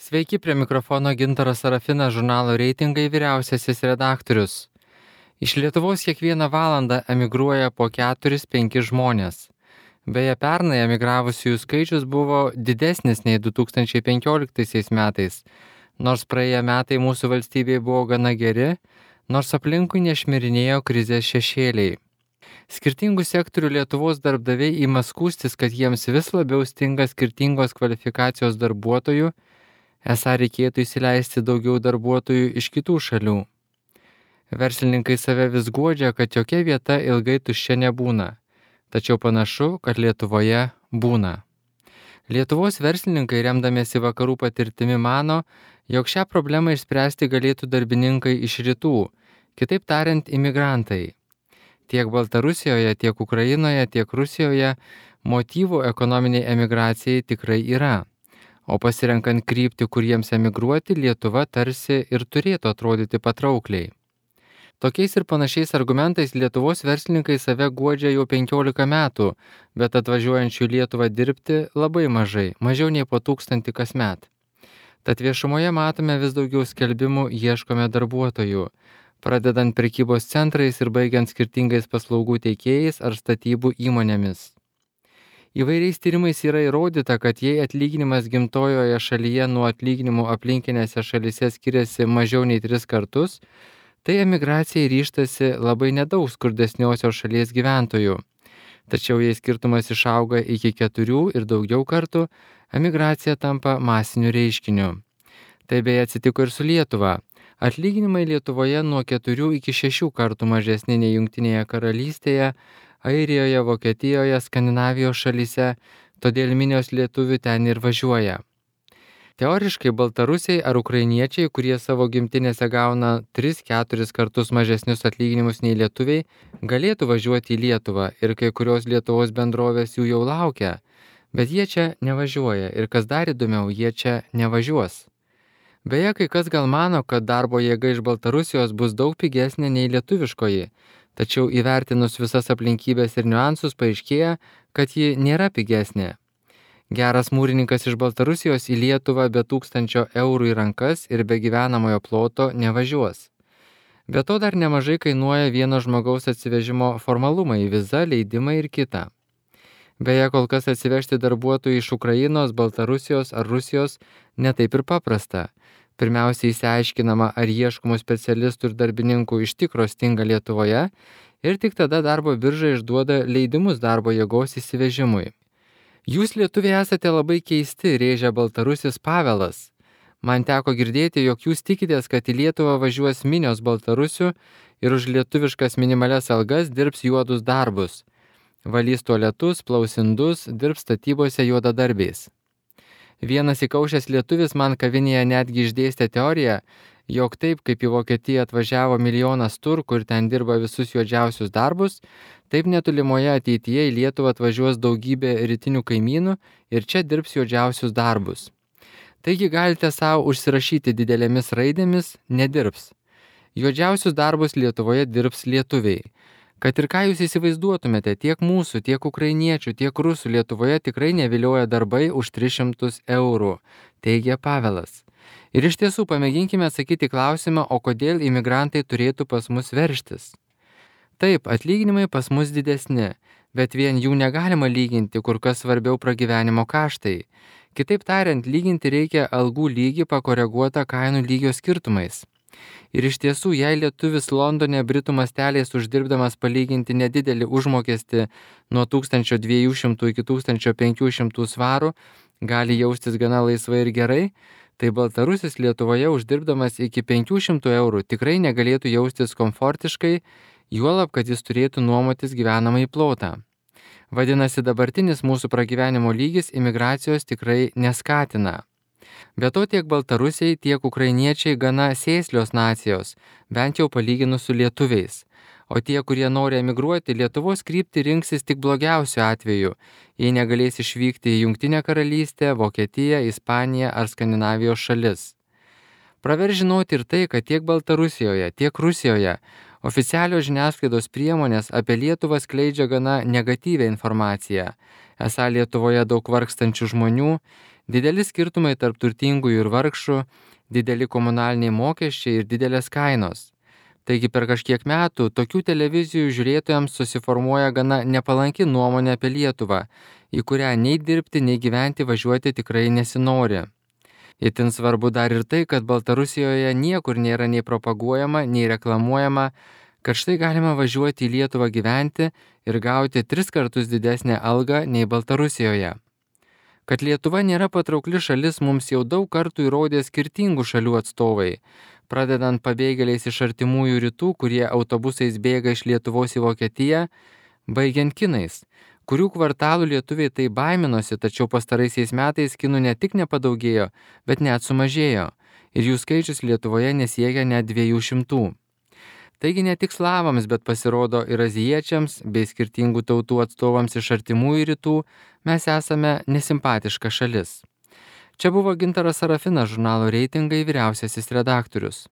Sveiki, prie mikrofono Gintaras Sarafinas, žurnalo Reitingai vyriausiasis redaktorius. Iš Lietuvos kiekvieną valandą emigruoja po 4-5 žmonės. Beje, pernai emigravusiųjų skaičius buvo didesnis nei 2015 metais, nors praėję metai mūsų valstybėje buvo gana geri, nors aplinkui nešmirinėjo krizės šešėliai. Skirtingų sektorių Lietuvos darbdaviai ima skųstis, kad jiems vis labiau stinga skirtingos kvalifikacijos darbuotojų, esą reikėtų įsileisti daugiau darbuotojų iš kitų šalių. Verslininkai save vis guodžia, kad jokia vieta ilgai tuščia nebūna, tačiau panašu, kad Lietuvoje būna. Lietuvos verslininkai, remdamiesi vakarų patirtimi, mano, jog šią problemą išspręsti galėtų darbininkai iš rytų, kitaip tariant, imigrantai. Tiek Baltarusijoje, tiek Ukrainoje, tiek Rusijoje motyvų ekonominiai emigracijai tikrai yra. O pasirenkant kryptį, kur jiems emigruoti, Lietuva tarsi ir turėtų atrodyti patraukliai. Tokiais ir panašiais argumentais Lietuvos verslininkai save guodžia jau 15 metų, bet atvažiuojančių į Lietuvą dirbti labai mažai, mažiau nei po 1000 kasmet. Tad viešumoje matome vis daugiau skelbimų ieškome darbuotojų, pradedant prekybos centrais ir baigiant skirtingais paslaugų teikėjais ar statybų įmonėmis. Įvairiais tyrimais yra įrodyta, kad jei atlyginimas gimtojoje šalyje nuo atlyginimų aplinkinėse šalyse skiriasi mažiau nei 3 kartus, tai emigracijai ryžtasi labai nedaug skurdesniosios šalies gyventojų. Tačiau jei skirtumas išauga iki 4 ir daugiau kartų, emigracija tampa masiniu reiškiniu. Tai beje atsitiko ir su Lietuva. Atlyginimai Lietuvoje nuo 4 iki 6 kartų mažesni nei Jungtinėje karalystėje, Airijoje, Vokietijoje, Skandinavijos šalyse, todėl minios lietuvių ten ir važiuoja. Teoriškai baltarusiai ar ukrainiečiai, kurie savo gimtinėse gauna 3-4 kartus mažesnius atlyginimus nei lietuviai, galėtų važiuoti į Lietuvą ir kai kurios Lietuvos bendrovės jų jau laukia, bet jie čia nevažiuoja ir kas dar įdomiau, jie čia nevažiuos. Beje, kai kas gal mano, kad darbo jėga iš Baltarusijos bus daug pigesnė nei lietuviškoji, tačiau įvertinus visas aplinkybės ir niuansus paaiškėja, kad ji nėra pigesnė. Geras mūrininkas iš Baltarusijos į Lietuvą be 1000 eurų į rankas ir be gyvenamojo ploto nevažiuos. Be to dar nemažai kainuoja vieno žmogaus atsivežimo formalumai, viza, leidimai ir kita. Beje, kol kas atsivežti darbuotojų iš Ukrainos, Baltarusijos ar Rusijos netaip ir paprasta. Pirmiausia, išsiaiškinama, ar ieškomų specialistų ir darbininkų iš tikro stinga Lietuvoje ir tik tada darbo birža išduoda leidimus darbo jėgos įsivežimui. Jūs lietuviai esate labai keisti, rėžia baltarusis Pavelas. Man teko girdėti, jog jūs tikitės, kad į Lietuvą važiuos minios baltarusių ir už lietuviškas minimalias algas dirbs juodus darbus. Valys tualetus, plaus indus, dirbs statybose juodadarbiais. Vienas įkaušęs lietuvis man kavinėje netgi išdėstė teoriją, jog taip kaip į Vokietiją atvažiavo milijonas turkų ir ten dirba visus juodžiausius darbus, taip netolimoje ateityje į Lietuvą atvažiuos daugybė rytinių kaimynų ir čia dirbs juodžiausius darbus. Taigi galite savo užsirašyti didelėmis raidėmis nedirbs. Juodžiausius darbus Lietuvoje dirbs lietuviai. Kad ir ką jūs įsivaizduotumėte, tiek mūsų, tiek ukrainiečių, tiek rusų Lietuvoje tikrai nevilioja darbai už 300 eurų, teigia Pavelas. Ir iš tiesų pamėginkime atsakyti klausimą, o kodėl imigrantai turėtų pas mus veržtis. Taip, atlyginimai pas mus didesni, bet vien jų negalima lyginti, kur kas svarbiau pragyvenimo kaštai. Kitaip tariant, lyginti reikia algų lygį pakoreguotą kainų lygio skirtumais. Ir iš tiesų, jei lietuvis Londone britų masteliais uždirbdamas palyginti nedidelį užmokestį nuo 1200 iki 1500 svarų gali jaustis gana laisvai ir gerai, tai baltarusis Lietuvoje uždirbdamas iki 500 eurų tikrai negalėtų jaustis komfortiškai, juolab, kad jis turėtų nuomotis gyvenamąjį plotą. Vadinasi, dabartinis mūsų pragyvenimo lygis imigracijos tikrai neskatina. Be to tiek baltarusiai, tiek ukrainiečiai gana sėslios nacijos, bent jau palyginus su lietuviais. O tie, kurie nori emigruoti, Lietuvos kryptį rinksis tik blogiausiu atveju, jei negalės išvykti į Jungtinę karalystę, Vokietiją, Ispaniją ar Skandinavijos šalis. Praver žinoti ir tai, kad tiek Baltarusijoje, tiek Rusijoje oficialios žiniasklaidos priemonės apie Lietuvą skleidžia gana negatyvią informaciją. Esą Lietuvoje daug vargstančių žmonių, Dideli skirtumai tarp turtingųjų ir vargšų, dideli komunaliniai mokesčiai ir didelės kainos. Taigi per kažkiek metų tokių televizijų žiūrėtojams susiformuoja gana nepalanki nuomonė apie Lietuvą, į kurią nei dirbti, nei gyventi važiuoti tikrai nesinori. Itin svarbu dar ir tai, kad Baltarusijoje niekur nėra nei propaguojama, nei reklamuojama, kad štai galima važiuoti į Lietuvą gyventi ir gauti 3 kartus didesnę algą nei Baltarusijoje. Kad Lietuva nėra patraukli šalis mums jau daug kartų įrodė skirtingų šalių atstovai, pradedant pabėgėliais iš artimųjų rytų, kurie autobusais bėga iš Lietuvos į Vokietiją, baigiant kinais, kurių kvartalų lietuviai tai baiminosi, tačiau pastaraisiais metais kinų ne tik nepadaugėjo, bet net sumažėjo, ir jų skaičius Lietuvoje nesiekia net 200. Taigi ne tik slavams, bet pasirodo ir azijiečiams bei skirtingų tautų atstovams iš artimųjų rytų mes esame nesimpatiška šalis. Čia buvo Gintaras Sarafinas, žurnalo Reitingai vyriausiasis redaktorius.